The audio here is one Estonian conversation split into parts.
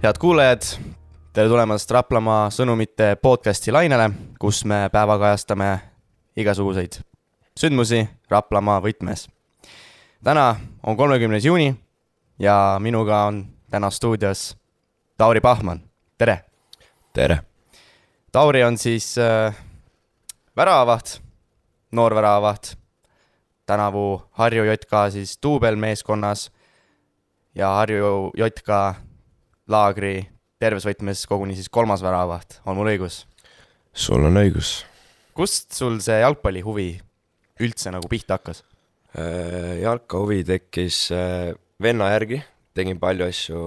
Head kuulajad, tere tulemast Raplamaa sõnumite podcasti lainele, kus me päevakajastame igasuguseid sündmusi Raplamaa võtmes. Täna on 30. juuni ja minuga on täna stuudios Tauri Pahman. Tere! Tere! Tauri on siis väravavaht, noor väravavaht, tänavu Harju JK siis duubelmeeskonnas ja Harju JK laagri tervesvõtmes koguni siis 3. väravavaht. On mul õigus? Sul on õigus. Kust sul see jalgpallihuvi üldse nagu pihta hakkas? Jalkahuvi tekkis venna järgi, tegin palju asju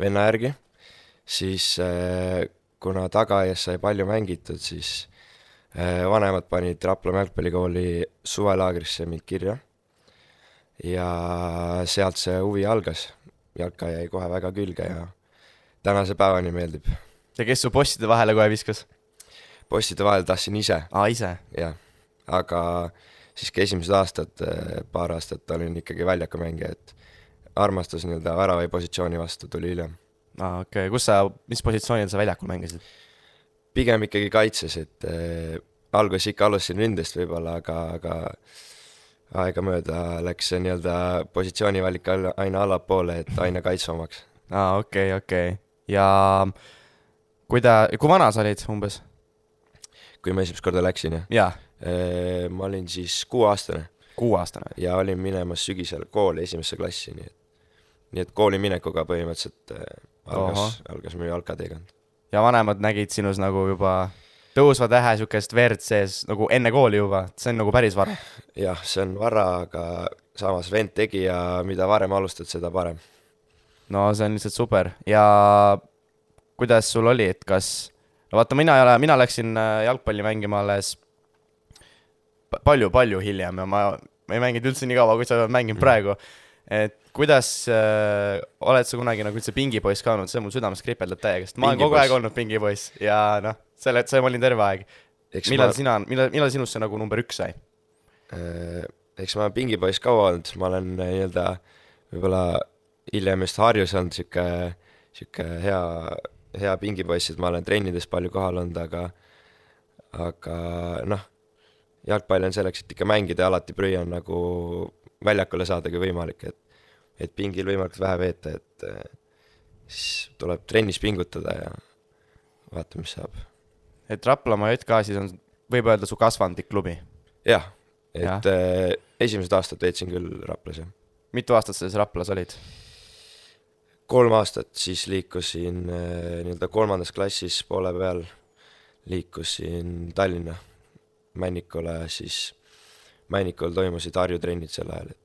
venna järgi, siis kuna tagaaias sai palju mängitud, siis vanemad panid Raplamaa jalgpallikooli suvelaagrisse mind kirja ja sealt see huvi algas. Jalka jäi kohe väga külge ja tänase päevani meeldib. Ja kes su postide vahele kohe viskas? Postide vahele tahtsin ise. Ise? Jah, aga siiski esimesed aastad, paar aastat olin ikkagi väljakumängija, et armastus nii-öelda väravai positsiooni vastu tuli hiljem. Okei. Mis positsioonil sa väljakul mängisid? Pigem ikkagi kaitses, et alguses ikka alustasin rindest võib-olla, aga aega mööda läks see nii-öelda positsioonivalik aina allapoole, et aina kaitsvamaks. Okei. Ja kui vana sa olid umbes? Kui ma esimest korda läksin, jah? Jaa. Ma olin siis 6-aastane. 6-aastane? Ja olin minemas sügisel kooli esimesse klassi, nii et kooli minekuga põhimõtteliselt algas minu jalkateekond. Ja vanemad nägid sinus nagu juba tõusva tähe sükest verd sees nagu enne kooli juba, see on nagu päris vara. Jah, see on vara, aga samas vend tegi ja mida varem alustad, seda parem. No see on lihtsalt super. Ja kuidas sul oli, et kas... No vaata, mina läksin jalgpalli mängima alles palju hiljem ja ma ei mänginud üldse nii kaua, kui sa mängin praegu. Et kuidas oled sa kunagi nagu üldse pingipoiss ka olnud, see mul südames kripeldab täiega, ma olen kogu aeg olnud pingipoiss ja noh, see ma olin terve aeg. Millal sinust see nagu number 1 sai? Eks ma olen pingipoiss kaua olnud, ma olen nii-öelda võib-olla hiljem just Harjus olnud siuke hea pingipoiss, et ma olen trennides palju kohal olnud, aga noh, jalgpall on selleks, et ikka mängida ja alati prüian nagu väljakule saada kui võimalik, et pingil võimalikult vähe veeta, et siis tuleb trennis pingutada ja vaata, mis saab. Et Raplamaa JK siis on, võib öelda, su kasvandik klubi? Jah, et esimesed aastad veetsin küll Raplas. Mitu aastat sa siis Raplas olid? 3 aastat, siis liikusin nii-öelda 3. klassis poole peal, liikusin Tallinna Männikule, siis Männikul toimusid Harju trennid sel ajal.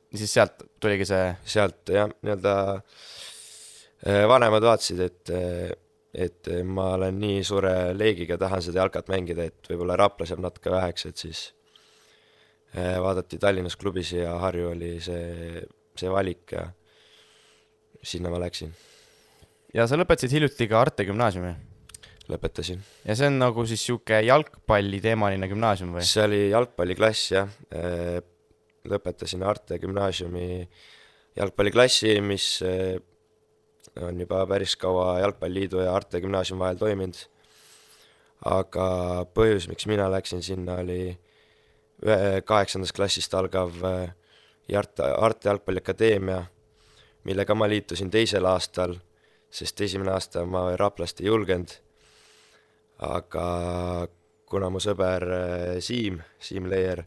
Ja siis sealt tuligi see? Sealt jah, nii-öelda vanemad vaatasid, et ma olen nii suure leegiga, tahan seda jalkat mängida, et võib-olla Raplas jääb natuke väheks, et siis vaadati Tallinnas klubis ja Harju oli see valik ja sinna ma läksin. Ja sa lõpetasid hiljuti ka Arte gümnaasiumi? Lõpetasin. Ja see on nagu siis siuke jalgpalli teemaline gümnaasium või? See oli jalgpalliklass, jah. Lõpetasin Arte gümnaasiumi jalgpalliklassi, mis on juba päris kaua Jalgpalliliidu ja Arte gümnaasiumi vahel toiminud. Aga põhjus, miks mina läksin sinna, oli 8. klassist algav Arte jalgpalliakadeemia, millega ma liitusin 2. aastal, sest 1. aasta ma Raplast ei julgenud. Aga kuna mu sõber Siim Leier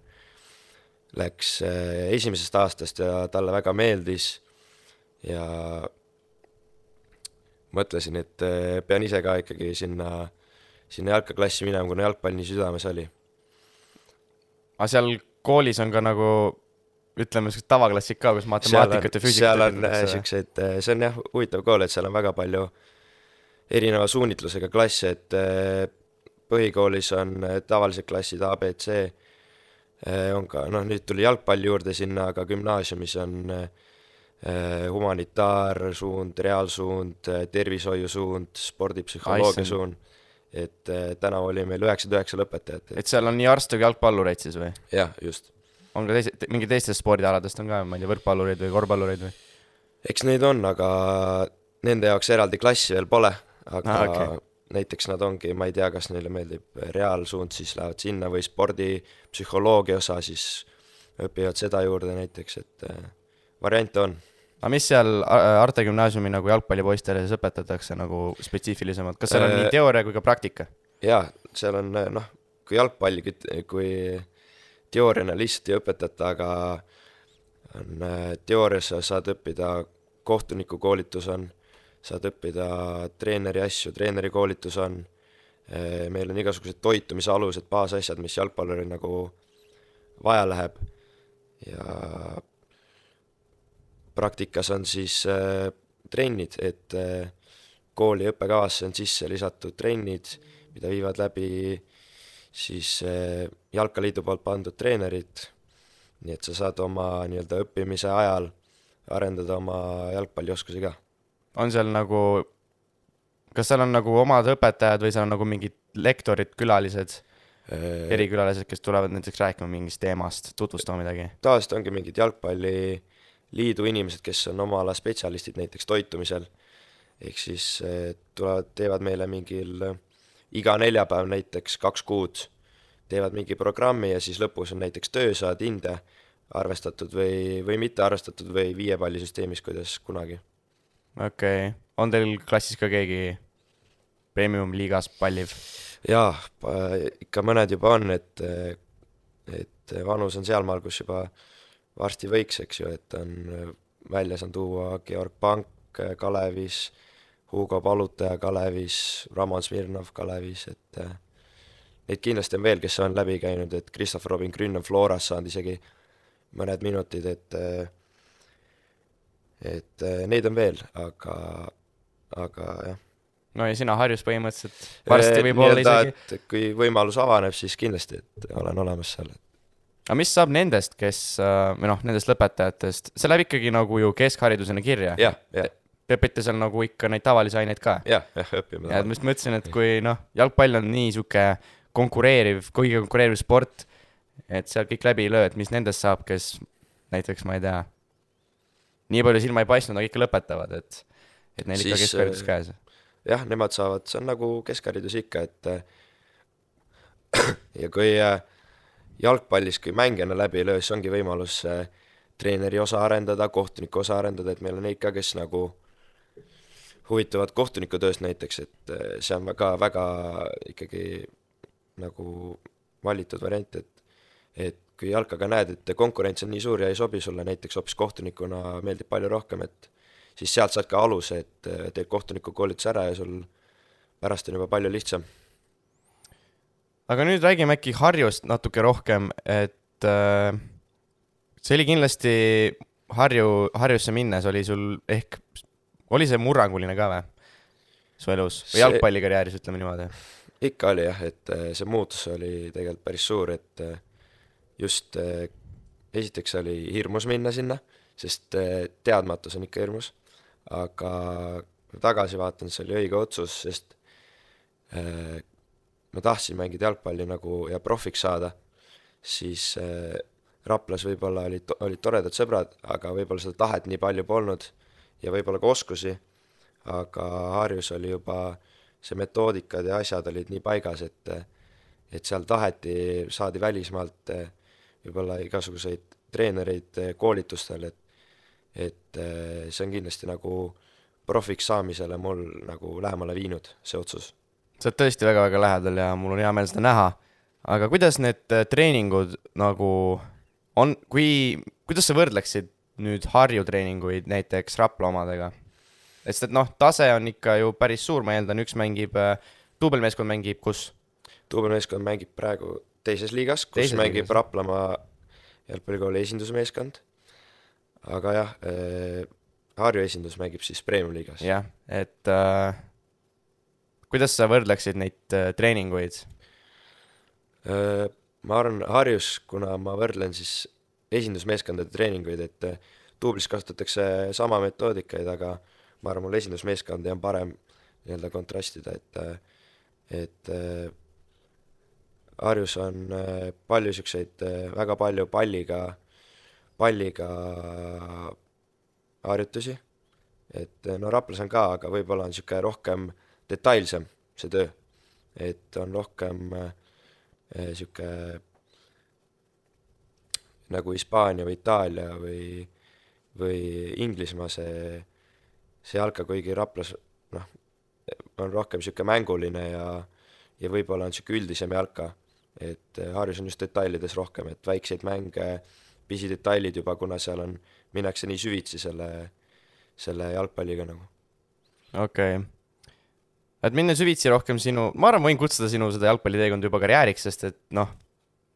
läks 1. aastast ja talle väga meeldis ja mõtlesin, et pean ise ka ikkagi sinna jalkaklassi minema, kuna jalgpall nii südames oli. Aga seal koolis on ka nagu, ütleme, tavaklassik ka, kus matemaatikat ja füüsikat. Seal on siuksed, see on jah huvitav kool, et seal on väga palju erineva suunitlusega klasse, et põhikoolis on tavalised klassid A, B, C, on ka, nüüd tuli jalgpalli juurde sinna, aga gümnaasiumis on humanitaarsuund, reaalsuund, tervishoiusuund, spordipsühholoogia suund, et tänavu oli meil 99 lõpetajat. Et seal on nii arste kui jalgpallureid siis või? Jah, just. On ka mingi teistest spordialadest on ka, ma ei tea, võrkpallureid või korvpallureid või? Eks neid on, aga nende jaoks eraldi klassi veel pole, aga Okay. näiteks nad ongi, ma ei tea, kas neile meeldib reaalsuund, siis lähevad sinna või spordipsühholoogia osa, siis õpivad seda juurde näiteks, et variante on. aga mis seal Arte Gümnaasiumi nagu jalgpallipoistele siis õpetatakse nagu spetsiifilisemalt, kas seal on nii teooria kui ka praktika? Jaa, seal on noh, kui jalgpalli, kui teooriana lihtsalt ei õpetata, aga on teoorias saad õppida, kohtunikukoolitus on, saad õppida treeneri asju, treeneri koolitus on, meil on igasugused toitumise alused, baasasjad, mis jalgpalluril nagu vaja läheb ja praktikas on siis trennid, et kooli õppekavasse on sisse lisatud trennid, mida viivad läbi siis Jalkaliidu poolt pandud treenerid, nii et sa saad oma nii-öelda õppimise ajal arendada oma jalgpallioskusi ka. On seal nagu, kas seal on nagu omad õpetajad või seal on nagu mingid lektorid, külalised, erikülalised, kes tulevad näiteks rääkima mingist teemast, tutvustama midagi? Tavaliselt ongi mingid jalgpalliliidu inimesed, kes on oma ala spetsialistid näiteks toitumisel, ehk siis tulevad, teevad meile mingil iga neljapäev näiteks 2 kuud, teevad mingi programmi ja siis lõpus on näiteks töösaad, hinde arvestatud või mitte arvestatud või 5 pallisüsteemis, kuidas kunagi. Okei. On teil klassis ka keegi premium-liigas palliv? Jaa, ikka mõned juba on, et vanus on sealmaal, kus juba varsti võiks, eks ju, et on väljas on tuua Georg Pank Kalevis, Hugo Palutaja Kalevis, Ramon Smirnov Kalevis, et neid kindlasti on veel, kes on läbi käinud, et Christopher Robin Grün on Floras saanud isegi mõned minutid, et neid on veel, aga jah. No ja sina Harjus põhimõtteliselt varsti võib olla isegi. Et kui võimalus avaneb, siis kindlasti, et olen olemas seal. Aga mis saab nendest, kes, või noh, nendest lõpetajatest, see läheb ikkagi nagu ju keskharidusena kirja? Jah. Te õpite seal nagu ikka neid tavalisi aineid ka? Jah, õpime. Ja ma just mõtlesin, et kui noh, jalgpall on nii suke kõige konkureeriv sport, et seal kõik läbi ei löö, et mis nendest saab, kes näiteks, ma ei tea, nii palju silma ei paistnud, aga ikka lõpetavad, et neil ikka keskharidus käes. Jah, nemad saavad, see on nagu keskharidus ikka, et ja kui jalgpallis, kui mängijana läbi ei löö, siis ongi võimalus treeneri osa arendada, kohtuniku osa arendada, et meil on neid ka, kes nagu huvituvad kohtunikutööst näiteks, et see on väga ikkagi nagu valitud variant, et kui jalkaga näed, et konkurents on nii suur ja ei sobi sulle, näiteks hoopis kohtunikuna meeldib palju rohkem, et siis sealt saad ka aluse, et teed kohtuniku koolitus ära ja sul pärast on juba palju lihtsam. Aga nüüd räägime äkki Harjust natuke rohkem, et see oli kindlasti Harjusse minnes, oli sul ehk, oli see murranguline ka või su elus või jalgpallikarjääris, ütleme niimoodi? Ikka oli jah, et see muutus oli tegelikult päris suur, et just esiteks oli hirmus minna sinna, sest teadmatus on ikka hirmus, aga tagasi vaatan, see oli õige otsus, sest ma tahtsin mängida jalgpalli nagu ja profiks saada, siis Raplas võib-olla olid toredad sõbrad, aga võib-olla seda tahet nii palju polnud ja võib-olla ka oskusi, aga Harjus oli juba see metoodikad ja asjad olid nii paigas, et seal taheti, saadi välismaalt võib-olla igasuguseid treenereid koolitustel, et see on kindlasti nagu profiks saamisele mul nagu lähemale viinud, see otsus. Sa oled tõesti väga-väga lähedal ja mul on hea meel seda näha, aga kuidas need treeningud nagu on, kuidas sa võrdleksid nüüd Harju treeninguid näiteks Rapla omadega? Et noh, tase on ikka ju päris suur, ma eeldan, üks mängib, duubelmeeskond mängib kus? Duubelmeeskond mängib praegu teises liigas, kus mängib Raplamaa jalgpallikooli esindusmeeskond, aga jah, Harju esindus mängib siis Premium liigas. Jah, et kuidas sa võrdleksid neid treeninguid? Ma arvan, Harjus, kuna ma võrdlen siis esindusmeeskondade treeninguid, et duublis kasutatakse sama metoodikaid, aga ma arvan, mul esindusmeeskond on parem nii-öelda kontrastida, et Harjus on palju siukseid, väga palju palliga harjutusi, et no Raplas on ka, aga võib-olla on niisugune rohkem detailsem see töö. Et on rohkem niisugune nagu Hispaania või Itaalia või Inglismaa see jalka, kuigi Raplas noh, on rohkem niisugune mänguline ja võib-olla on niisugune üldisem jalka. Et Harjus on just detailides rohkem, et väikseid mänge, pisidetailid juba, kuna seal on, minnakse nii süvitsi selle jalgpalliga nagu. Okei. Et minna süvitsi rohkem ma arvan, võin kutsuda sinu seda jalgpalliteekond juba karjääriks, sest et noh,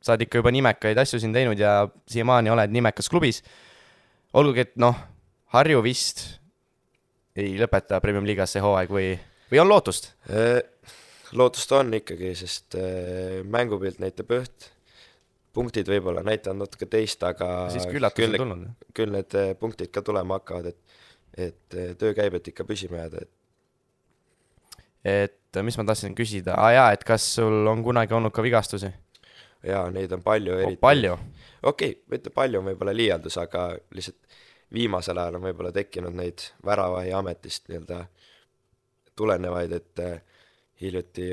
sa oled ikka juba nimekaid asju siin teinud ja siiamaani oled nimekas klubis. Olgugi, et noh, Harju vist ei lõpeta Premium Liigas see hooaeg või on lootust? Lootust on ikkagi, sest mängupilt näitab üht, punktid võib-olla näitavad natuke teist, aga siiski üllatus on tulnud. Küll need punktid ka tulema hakkavad, et töö käib, et ikka püsima jääda. Et mis ma tahtsin küsida? Et kas sul on kunagi olnud ka vigastusi? Jaa, neid on palju. Palju? Okei, mitte palju on võib-olla liialdus, aga lihtsalt viimasel ajal on võib-olla tekkinud neid väravahi ametist nii-öelda tulenevaid, et hiljuti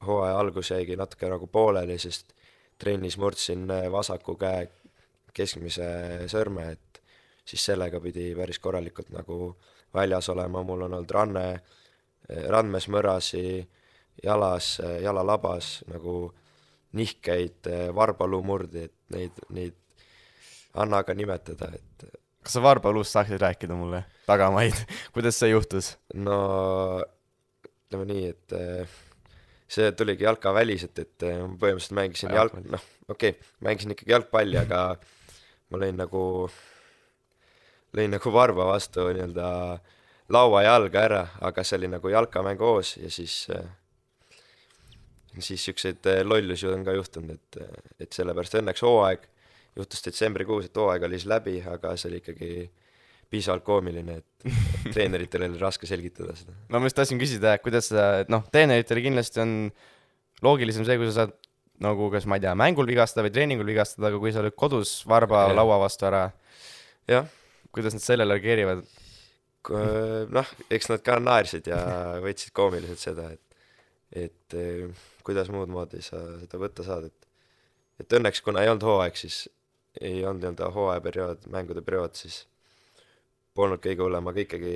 hooaja algus jäigi natuke nagu pooleli, sest trennis murdsin vasaku käe keskmise sõrme, et siis sellega pidi päris korralikult nagu väljas olema. Mul on olnud randmes mõrasi, jalalabas nagu nihkeid, varbaluumurdi, et neid anna ka nimetada, et kas sa varbaluust saaksid rääkida mulle tagamaid? Kuidas see juhtus? No ütleme nii, et see tuligi jalka väliselt, et põhimõtteliselt mängisin mängisin ikkagi jalgpalli, aga ma lõin nagu varba vastu nii-öelda laua jalga ära, aga see oli nagu jalkamäng hoos ja siis siukseid lollusi on ka juhtunud, et sellepärast õnneks hooaeg juhtus detsembrikuus, et hooaeg oli siis läbi, aga see oli ikkagi piisavalt koomiline, et treeneritele oli raske selgitada seda. No ma just tahtsin küsida, kuidas treeneritele kindlasti on loogilisem see, kui sa saad nagu, kas ma ei tea, mängul vigastada või treeningul vigastada, aga kui sa oled kodus varba laua vastu ära, kuidas nad sellele reageerivad? Noh, eks nad ka naersid ja võtsid koomiliselt seda, et kuidas muud moodi sa seda võtta saad, et õnneks, kuna ei olnud hooaeg, siis ei olnud nii-öelda hooajaperiood, mängude periood, siis polnud kõige hullem, aga ikkagi,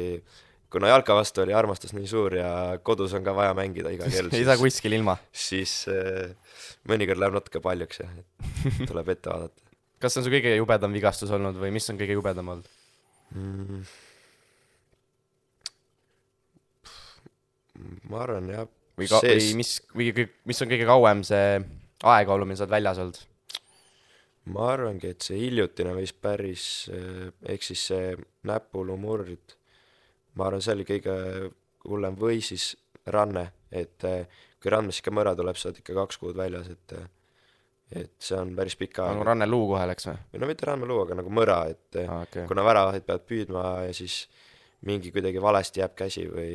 kuna jalka vastu oli armastus nii suur ja kodus on ka vaja mängida iga kell, ei saa kuskil ilma. Siis mõnikord läheb natuke paljuks ja tuleb ette vaadata. Kas see on su kõige jubedam vigastus olnud või mis on kõige jubedam olnud? Ma arvan, jah. Või mis on kõige kauem see aega olnud, mil sa oled väljas olnud? Ma arvangi, et see hiljutine võis päris, ehk siis see näpulumurd, ma arvan, see oli kõige hullem või siis ranne, et kui randmes ikka mõra tuleb, sa oled ikka 2 kuud väljas, et see on päris pika aeg. Nagu ranne luu kohe läks või? Või no mitte ranne luu, aga nagu mõra, et kuna väravahid peavad püüdma ja siis mingi kuidagi valesti jääb käsi või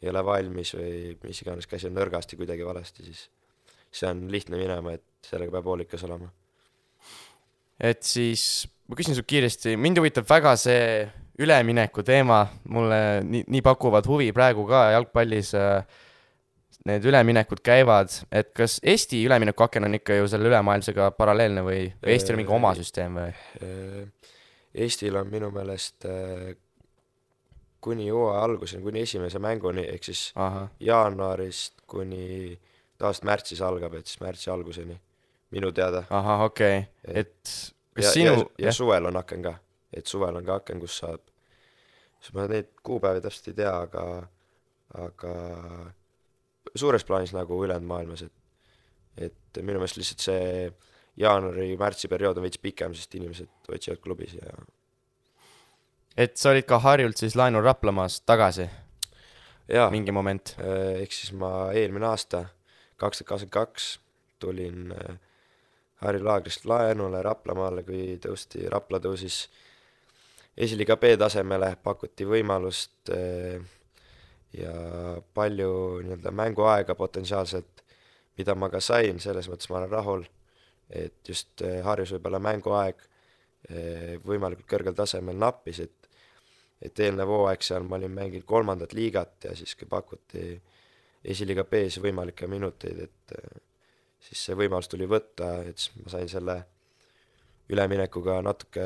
ei ole valmis või mis iganes käsi on nõrgasti kuidagi valesti, siis see on lihtne minema, et sellega peab hoolikas olema. Et siis, ma küsin sul kiiresti, mind huvitab väga see ülemineku teema, mulle nii pakuvad huvi praegu ka jalgpallis, need üleminekud käivad, et kas Eesti ülemineku aken on ikka ju selle ülemaailmsega paralleelne või Eestil on mingi oma süsteem või? Eestil on minu meelest kuni hooaja alguseni, kuni esimese mänguni, ehk siis jaanuarist kuni tavaliselt märtsis algab, et siis märtsi alguseni, minu teada. Okei. Et kas ja suvel on aken ka, et suvel on ka aken, kus saab, ma neid kuupäevi täpselt ei tea, aga suures plaanis nagu ülejäänud maailmas, et minu meelest lihtsalt see jaanuari-märtsi periood on veits pikem, sest inimesed otsivad klubis ja et sa olid ka Harjult siis laenul Raplamaast tagasi? Jaa, mingi moment. Ehk siis ma eelmine aasta 2022 tulin Harju Laagrist laenule Raplamaale, kui Rapla tõusis esiliiga B tasemele, pakuti võimalust ja palju nii-öelda mänguaega potentsiaalselt, mida ma ka sain, selles mõttes ma olen rahul, et just Harjus võib-olla mänguaeg võimalikult kõrgel tasemel nappis, et eelnev hooaeg seal ma olin mänginud 3. liigat ja siis kui pakuti esiliiga B-s võimalikke minuteid, et siis see võimalus tuli võtta, et siis ma sain selle üleminekuga natuke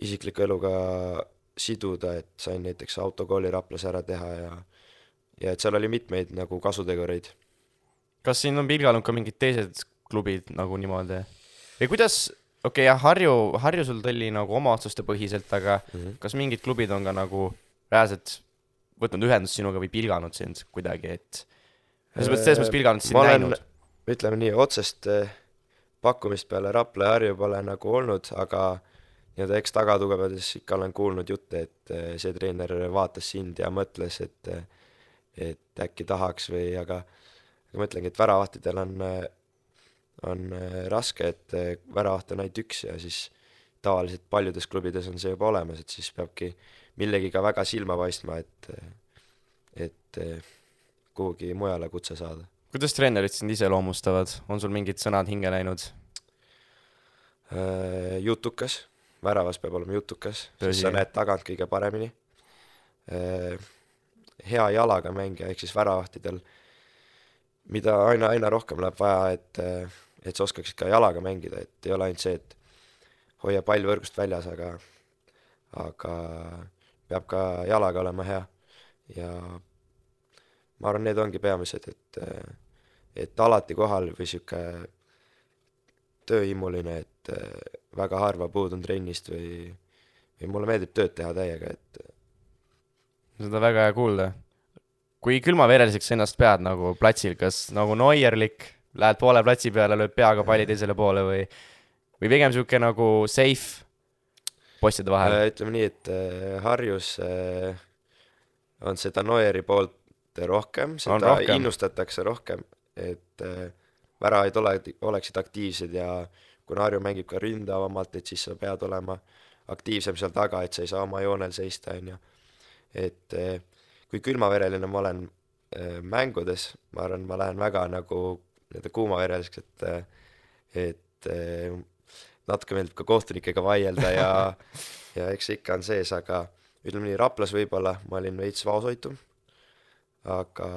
isikliku eluga siduda, et sain näiteks autokooli Raplas ära teha ja et seal oli mitmeid nagu kasutegureid. Kas siin on pilganud ka mingid teised klubid nagu niimoodi? Ja kuidas, jah, Harju sul tõlli nagu oma otsuste põhiselt, aga kas mingid klubid on ka nagu reaalselt võtnud ühendust sinuga või pilganud sind kuidagi, et selles mõttes pilganud sind näinud? Ütleme nii, otsest pakkumist peale Rapla ja Harju pole nagu olnud, aga nii-öelda eks tagatugevades ikka olen kuulnud jutte, et see treener vaatas sind ja mõtles, et äkki tahaks või, aga ma ütlengi, et väravahtidel on raske, et väravaht on ainult üks ja siis tavaliselt paljudes klubides on see juba olemas, et siis peabki millegiga väga silma paistma, et kuhugi mujale kutse saada. Kuidas treenerid sind iseloomustavad? On sul mingid sõnad hinge läinud? Jutukas, väravas peab olema jutukas, siis sa näed tagant kõige paremini. Hea jalaga mängija, ehk siis väravahtidel, mida aina rohkem läheb vaja, et sa oskaksid ka jalaga mängida, et ei ole ainult see, et hoia pall võrgust väljas, aga peab ka jalaga olema hea. Ja ma arvan, need ongi peamised, et alati kohal või siuke tööimuline, et väga harva puudun trennist või mulle meeldib tööd teha täiega, et seda väga hea kuulda. Kui külmavereliseks ennast pead nagu platsil, kas nagu Neuerlik, lähed poole platsi peale, lööb peaga palli teisele poole või pigem siuke nagu safe postide vahel? Ütleme nii, et Harjus on seda Neueri poolt rohkem, seda innustatakse rohkem, et väravaid oleksid aktiivsed ja kuna Harju mängib ka ründavamalt, et siis sa pead olema aktiivsem seal taga, et sa ei saa oma joonel seista, on ju. Et kui külmavereline ma olen mängudes, ma arvan, ma lähen väga nagu kuumavereliseks, et natuke meeldib ka kohtunikega vaielda ja eks ikka on sees, aga ütleme nii, Raplas võib-olla ma olin veits vaoshoitum, aga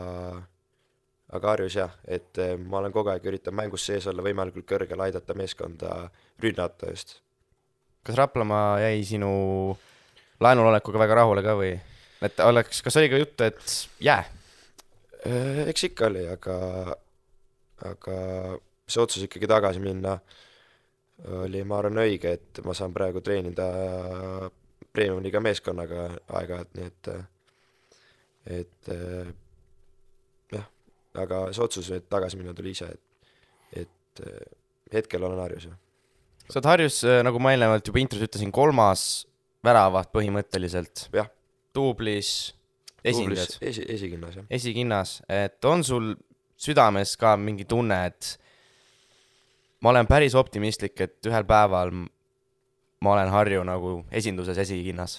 Harjus jah, et ma olen kogu aeg üritan mängus sees olla võimalikult kõrgel, aidata meeskonda rünnata just. Kas Raplamaa jäi sinu laenul olekuga väga rahule ka või? Et kas oli ka jutt, et jää? Eks ikka oli, aga see otsus ikkagi tagasi minna oli, ma arvan, õige, et ma saan praegu treenida Premium-liiga meeskonnaga aeg-ajalt, nii et jah, aga see otsus, et tagasi minna tuli ise, et hetkel olen Harjus. Sa oled Harjus, nagu ma eelnevalt juba intros ütlesin, 3. väravaht põhimõtteliselt. Jah. Duublis esindajad. Esikinnas, jah. Esikinnas, et on sul südames ka mingi tunne, et ma olen päris optimistlik, et ühel päeval ma olen Harju nagu esinduses esikinnas?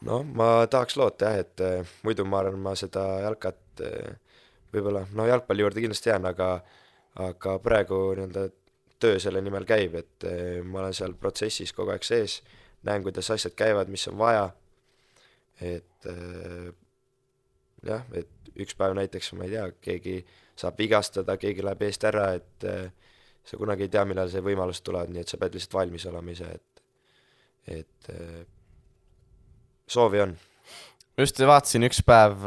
No, ma tahaks loota jah, et muidu ma arvan, ma seda jalkat võib-olla, jalgpalli juurde kindlasti jään, aga praegu töö selle nimel käib, et ma olen seal protsessis kogu aeg sees, näen, kuidas asjad käivad, mis on vaja, et jah, et üks päev näiteks, ma ei tea, keegi saab vigastada, keegi läheb eest ära, et sa kunagi ei tea, millal see võimalus tuleb, nii et sa pead lihtsalt valmis olema ise, et soovi on. Just vaatasin üks päev,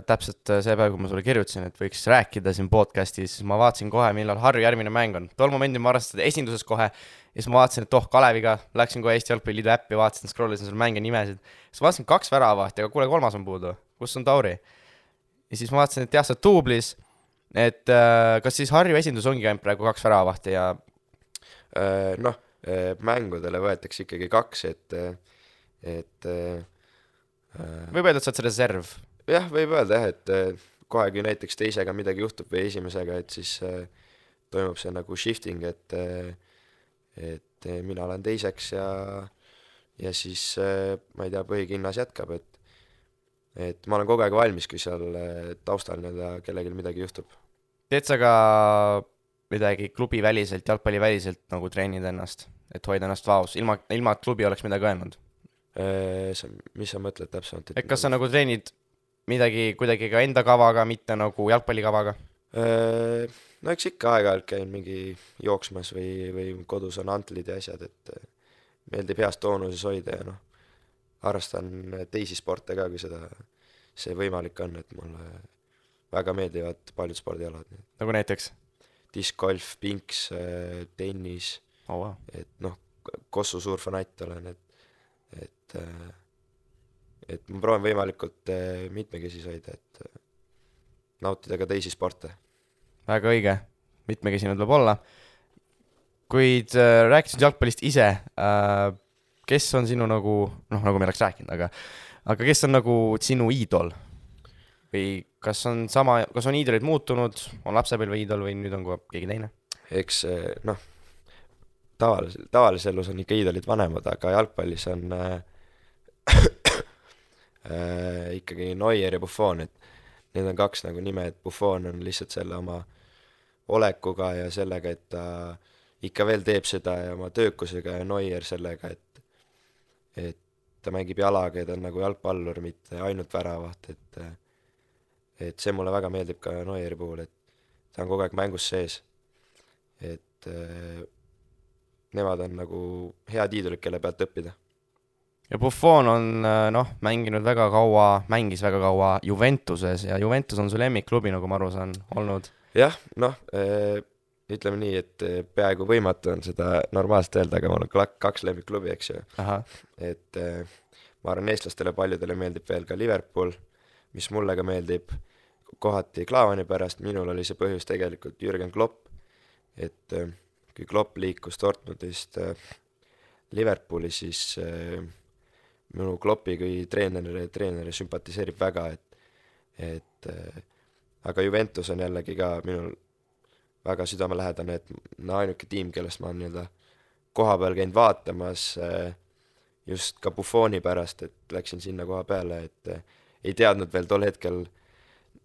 täpselt see päev, kui ma sulle kirjutasin, et võiks rääkida siin podcastis, siis ma vaatasin kohe, millal Harju järgmine mäng on. Tol momendil ma arvasin seda esinduses kohe, ja siis ma vaatasin, et Kaleviga, läksin kohe Eesti Jalgpalliliidu äppi, vaatasin, scrollisin seal mänge nimesid. Siis ma vaatasin 2 väravahti, aga kuule, 3. on puudu. Kus on Tauri? Ja siis ma vaatasin, et jah, sa oled Duublis, et kas siis Harju esindus ongi ainult praegu 2 väravahti ja mängudele võetakse ikkagi 2, et võib öelda, et sa oled see reserv? Jah, võib öelda jah, et kohe kui näiteks teisega midagi juhtub või esimesega, et siis toimub see nagu shifting, et mina olen teiseks ja siis ma ei tea, põhikinnas jätkab, et ma olen kogu aeg valmis, kui seal taustal kellelgi midagi juhtub. Teed sa ka midagi klubi väliselt, jalgpalli väliselt nagu treenida ennast, et hoida ennast vaos, ilma klubi oleks midagi öelnud? Mis sa mõtled täpsemalt? et kas sa nagu treenid midagi kuidagi ka enda kavaga, mitte nagu jalgpallikavaga? No eks ikka aeg-ajalt käin mingi jooksmas või kodus on antlid ja asjad, et meeldib heas toonuses hoida ja noh, harrastan teisi sporte ka, kui see võimalik on, et mulle väga meeldivad paljud spordialad. Nagu näiteks? Diskgolf, pinks, tennis, Oh, wow. et noh, Kossu suur fanatt olen, et ma proovin võimalikult mitmekesisus hoida, et nautida ka teisi sporte. Väga õige, mitmekesine tuleb olla. Kuid rääkisid jalgpallist ise, kes on sinu nagu, noh nagu me oleks rääkinud, aga kes on nagu sinu iidol? Või kas on iidolid muutunud, on lapsepõlve iidol või nüüd on ka keegi teine? Eks noh, tavalises elus on ikka iidolid vanemad, aga jalgpallis on ikkagi Neuer ja Buffon, et need on kaks nagu nime, et Buffon on lihtsalt selle oma olekuga ja sellega, et ta ikka veel teeb seda ja oma töökusega, ja Neuer sellega, et ta mängib jalaga ja ta on nagu jalgpallur, mitte ainult väravaht, et see mulle väga meeldib ka Neueri puhul, et ta on kogu aeg mängus sees, et nemad on nagu head iidolid, kelle pealt õppida. Ja Buffon on mängis väga kaua Juventuses ja Juventus on su lemmikklubi, nagu ma aru saan, olnud. Jah, noh, ütleme nii, et peaaegu võimatu on seda normaalselt öelda, aga mul on 2 lemmikklubi, eks ju. Et ma arvan, eestlastele paljudele meeldib veel ka Liverpool, mis mulle ka meeldib kohati Klaavani pärast. Minul oli see põhjus tegelikult Jürgen Klopp, et kui Klopp liikus Dortmundist Liverpooli, siis minu Kloppi kui treeneri sümpatiseerib väga, et aga Juventus on jällegi ka minul väga südamelähedane, et ainuke tiim, kellest ma olen nii-öelda koha peal käinud vaatamas just ka Buffoni pärast, et läksin sinna koha peale, et ei teadnud veel tol hetkel,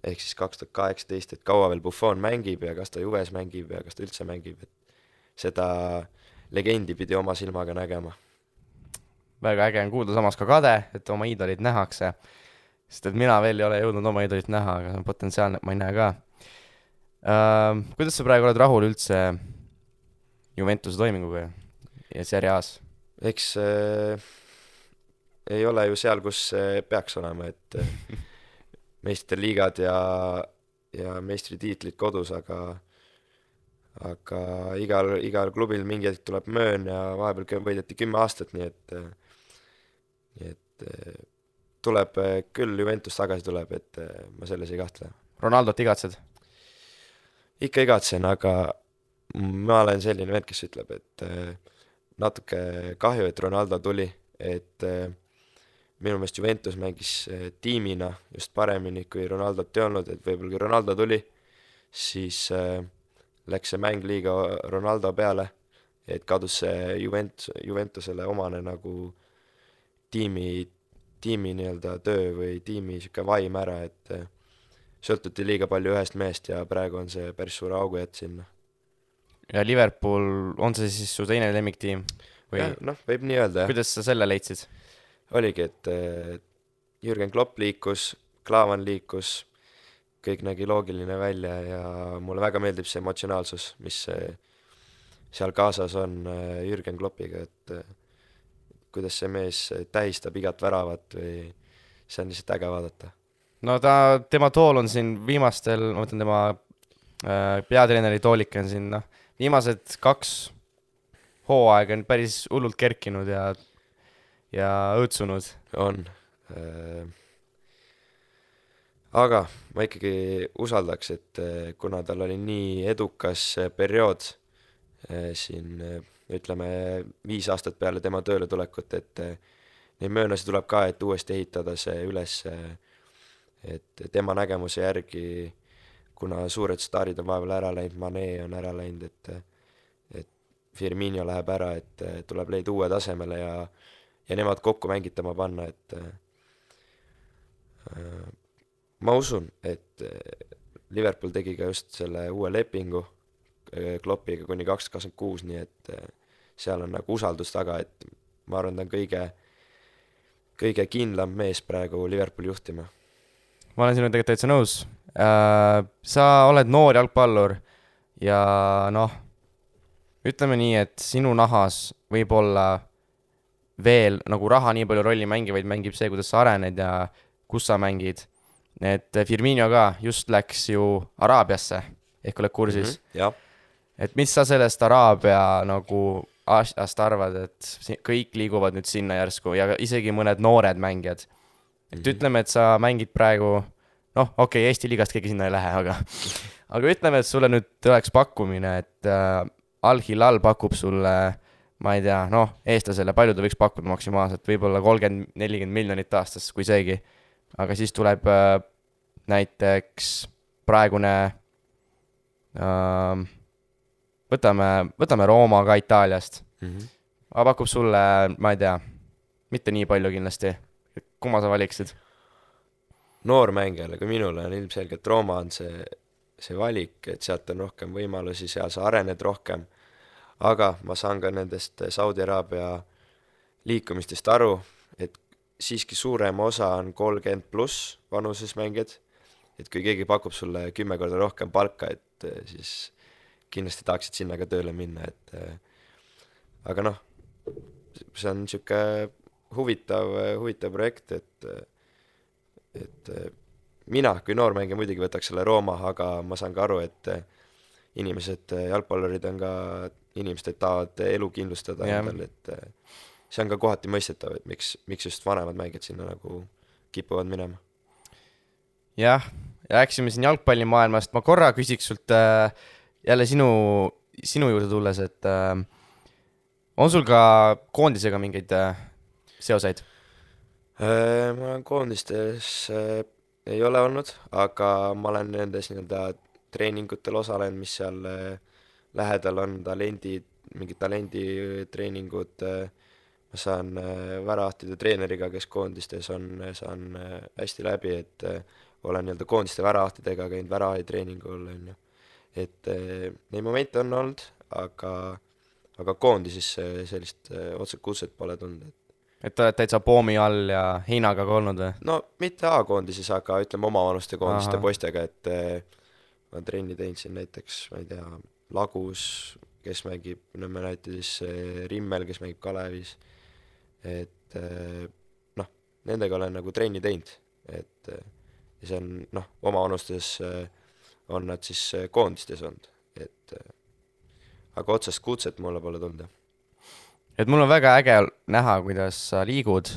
ehk siis 2018, et kaua veel Buffon mängib ja kas ta Juves mängib ja kas ta üldse mängib, et seda legendi pidi oma silmaga nägema. Väga äge on kuulda, samas ka kade, et oma iidolid nähakse, sest et mina veel ei ole jõudnud oma iidolit näha, aga see on potentsiaalne, et ma ei näe ka. Kuidas sa praegu oled rahul üldse Juventuse toiminguga ja Serie A-s? Eks ei ole ju seal, kus peaks olema, et meistriliigad ja meistritiitlid kodus, aga igal klubil mingi hetk tuleb möön ja vahepeal võideti 10 aastat, nii et tuleb küll, Juventus tagasi tuleb, et ma selles ei kahtle. Ronaldot igatsed? Ikka igatsen, aga ma olen selline vend, kes ütleb, et natuke kahju, et Ronaldo tuli, et minu meelest Juventus mängis tiimina just paremini, kui Ronaldot ei olnud, et võib-olla kui Ronaldo tuli, siis läks see mäng liiga Ronaldo peale, et kadus see Juventusele omane nagu tiimi nii-öelda töö või tiimi siuke vaim ära, et sõltuti liiga palju ühest meest ja praegu on see päris suure augu jätt sinna. Ja Liverpool, on see siis su teine lemmiktiim? Ja, noh, võib nii öelda, jah. Kuidas sa selle leidsid? Oligi, et Jürgen Klopp liikus, Klaavan liikus, kõik nägi loogiline välja ja mulle väga meeldib see emotsionaalsus, mis seal kaasas on Jürgen Kloppiga, et kuidas see mees tähistab igat väravat või see on lihtsalt äge vaadata. No tema tool on siin viimastel, ma mõtlen tema peatreeneri toolik on siin, viimased 2 hooaega on päris hullult kerkinud ja õõtsunud. On. Aga ma ikkagi usaldaks, et kuna tal oli nii edukas periood siin, ütleme 5 aastat peale tema tööle tulekut, et neid möönusi tuleb ka, et uuesti ehitada see üles, et tema nägemuse järgi, kuna suured staarid on vahepeal ära läinud, Mane on ära läinud, et Firmino läheb ära, et tuleb leida uue tasemele ja nemad kokku mängitama panna, et ma usun, et Liverpool tegi ka just selle uue lepingu Kloppiga kuni 2026, nii et seal on nagu usaldus taga, et ma arvan, ta on kõige kindlam mees praegu Liverpooli juhtima. Ma olen sinuga tegelikult täitsa nõus. Sa oled noor jalgpallur ja noh, ütleme nii, et sinu nahas võib olla veel nagu raha nii palju rolli mängivaid mängib see, kuidas sa arened ja kus sa mängid. Et Firmino ka just läks ju Araabiasse, ehk oled kursis. Jah. Et mis sa sellest Araabia nagu asjast arvad, et kõik liiguvad nüüd sinna järsku ja isegi mõned noored mängijad. Et ütleme, et sa mängid praegu, noh, okei, Eesti liigast keegi sinna ei lähe, aga ütleme, et sulle nüüd tuleks pakkumine, et Al-Hilal pakub sulle, ma ei tea, noh, eestlasele palju ta võiks pakkuda maksimaalselt, võib-olla 30-40 miljonit aastas, kui seegi. Aga siis tuleb näiteks praegune, võtame Rooma ka Itaaliast. Aga pakub sulle, ma ei tea, mitte nii palju kindlasti. Kumma sa valiksid? Noormängijale kui minule on ilmselgelt Rooma on see valik, et sealt on rohkem võimalusi, seal sa arened rohkem. Aga ma saan ka nendest Saudi Araabia liikumistest aru, et siiski suurem osa on 30 pluss vanuses mängijad, et kui keegi pakub sulle 10 korda rohkem palka, et siis kindlasti tahaksid sinna ka tööle minna, aga noh, see on niisugune huvitav projekt, et mina kui noormängija muidugi võtaks selle Rooma, aga ma saan ka aru, et jalgpallurid on ka inimesed, et tahavad elu kindlustada endal, et see on ka kohati mõistetav, et miks just vanemad mängijad sinna nagu kipuvad minema. Jah, rääksime siin jalgpallimaailmast. Ma korra küsiks sult jälle sinu juurde tulles, et on sul ka koondisega mingeid seoseid? Ma olen koondistes ei ole olnud, aga ma olen nendes treeningutel osalenud, mis seal lähedal on, mingid talenditreeningud, ma saan väravahtide treeneriga, kes koondistes on, saan hästi läbi, et olen koondiste väravahtidega käinud väravahitreeningul, et neid momente on olnud, aga koondises sellist otsed kutset pole tulnud. Et oled täitsa poomi all ja heinaga ka olnud või? No mitte A-koondises, aga ütleme omavanuste koondiste poistega, et ma trenni teinud siin näiteks, ma ei tea, Lagus, kes mängib Nõmme näiteks Rimmel, kes mängib Kalevis, et noh, nendega olen nagu trenni teinud, et see on, noh, omavanustes on nad siis koondistes olnud, et aga otsest kutset mulle pole tulnud. Et mul on väga äge näha, kuidas sa liigud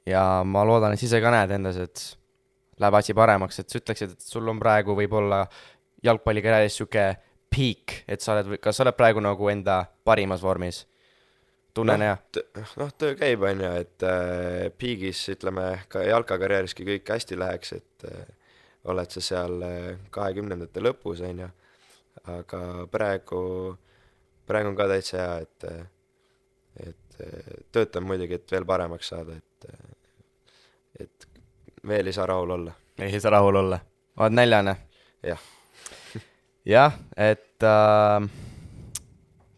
ja ma loodan, et ise ka näed endas, et läheb asi paremaks, et sa ütleksid, et sul on praegu võib-olla jalgpallikarjääris siuke peak, et kas sa oled praegu nagu enda parimas vormis? Tunnen hea? Noh, töö käib on ju, et peagis, ütleme, ka jalkakarjääriski kõik hästi läheks, et oled sa seal 20. lõpus on ju, aga praegu on ka täitsa hea, et töötan muidugi, et veel paremaks saada, et veel ei saa rahul olla. Ei saa rahul olla. Oled näljane? Jah. Jah, et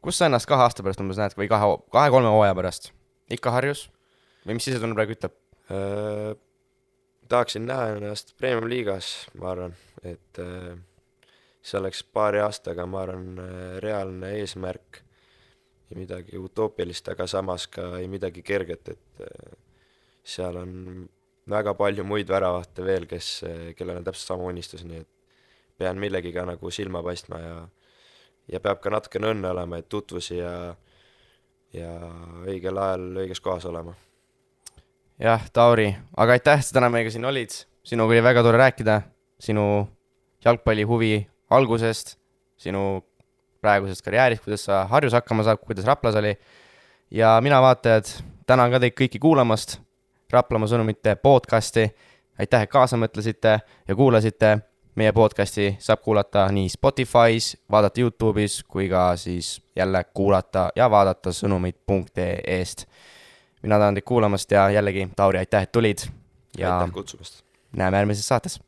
kus sa ennast 2 aasta pärast umbes näed või 2-3 hooaja pärast? Ikka Harjus? Või mis sisetunne praegu ütleb? Tahaksin näha ennast Premium liigas, ma arvan, et see oleks paari aastaga, ma arvan, reaalne eesmärk ja midagi utoopilist, aga samas ka ei midagi kerget, et seal on väga palju muid väravahte veel, kellel on täpselt sama unistus, nii et pean millegiga nagu silma paistma ja peab ka natukene õnne olema, et tutvusi ja õigel ajal õiges kohas olema. Jah, Tauri, aga aitäh, sa täna meiega siin olid. Sinuga oli väga tore rääkida sinu jalgpalli huvi algusest, sinu praegusest karjäärist, kuidas sa Harjus hakkama saab, kuidas Raplas oli. Ja mina vaatajad, tänan ka teid kõiki kuulamast Raplamaa sõnumite podcasti. Aitäh, et kaasa mõtlesite ja kuulasite. Meie podcasti saab kuulata nii Spotify's, vaadata YouTube'is kui ka siis jälle kuulata ja vaadata sõnumid.ee-st. Mina tänan teid kuulamast ja jällegi, Tauri, aitäh, et tulid. Ja aitäh kutsumast. Näeme järgmises saates.